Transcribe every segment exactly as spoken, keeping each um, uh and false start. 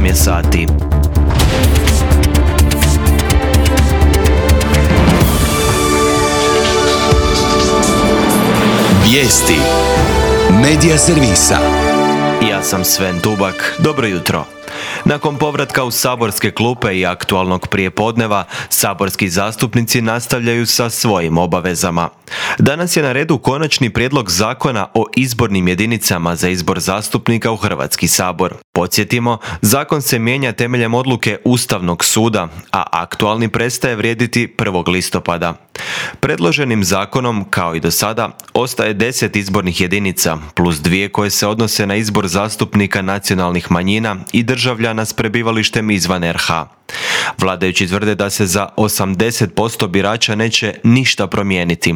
osam je sati. Vijesti Medija servisa. Ja sam Sven Tubak, dobro jutro. Nakon povratka u saborske klupe i aktualnog prijepodneva, saborski zastupnici nastavljaju sa svojim obavezama. Danas je na redu konačni prijedlog zakona o izbornim jedinicama za izbor zastupnika u Hrvatski sabor. Podsjetimo, zakon se mijenja temeljem odluke Ustavnog suda, a aktualni prestaje vrijediti prvog listopada. Predloženim zakonom, kao i do sada, ostaje deset izbornih jedinica, plus dvije koje se odnose na izbor zastupnika nacionalnih manjina i državljana s prebivalištem izvan er ha. Vladajući tvrde da se za osamdeset posto birača neće ništa promijeniti.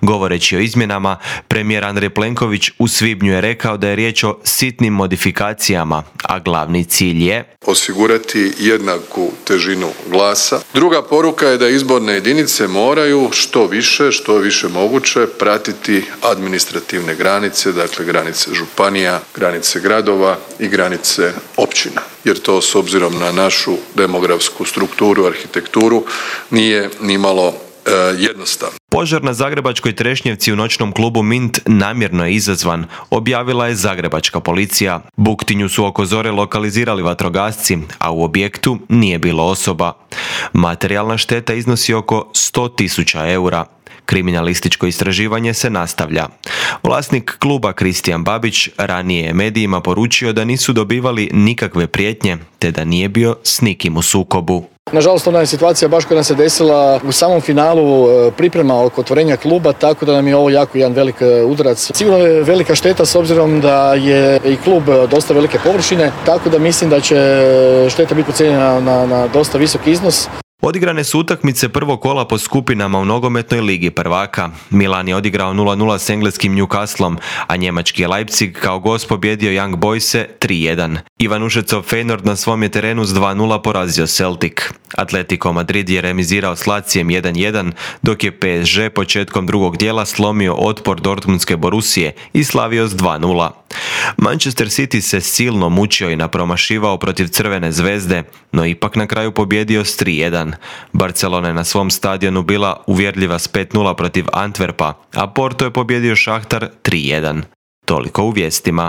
Govoreći o izmjenama, premijer Andrej Plenković u svibnju je rekao da je riječ o sitnim modifikacijama, a glavni cilj je osigurati jednaku težinu glasa. Druga poruka je da izborne jedinice moraju što više, što više moguće pratiti administrativne granice, dakle granice županija, granice gradova i granice općina. Jer to s obzirom na našu demografsku strukturu, arhitekturu nije nimalo e, jednostavno. Požar na zagrebačkoj Trešnjevci u noćnom klubu Mint namjerno je izazvan, objavila je zagrebačka policija. Buktinju su oko zore lokalizirali vatrogasci, a u objektu nije bilo osoba. Materijalna šteta iznosi oko sto tisuća eura. Kriminalističko istraživanje se nastavlja. Vlasnik kluba Kristijan Babić ranije je medijima poručio da nisu dobivali nikakve prijetnje, te da nije bio s nikim u sukobu. Nažalost, ona je situacija baš koja nam se desila u samom finalu priprema oko otvorenja kluba, tako da nam je ovo jako jedan velik udarac. Sigurno je velika šteta s obzirom da je i klub dosta velike površine, tako da mislim da će šteta biti procijenjena na, na dosta visok iznos. Odigrane su utakmice prvog kola po skupinama u nogometnoj ligi prvaka. Milan je odigrao nula nula s engleskim Newcastlom, a njemački je Leipzig kao gost pobjedio Young Boyse tri jedan. Ivanušecov Feyenoord na svom je terenu s dva nula porazio Celtic. Atletico Madrid je remizirao s Lazijem jedan jedan, dok je pe es že početkom drugog dijela slomio otpor Dortmundske Borusije i slavio s dva nula. Manchester City se silno mučio i napromašivao protiv Crvene zvezde, no ipak na kraju pobjedio s tri jedan. Barcelona je na svom stadionu bila uvjerljiva s pet nula protiv Antwerpa, a Porto je pobjedio Šahtar tri jedan. Toliko u vijestima.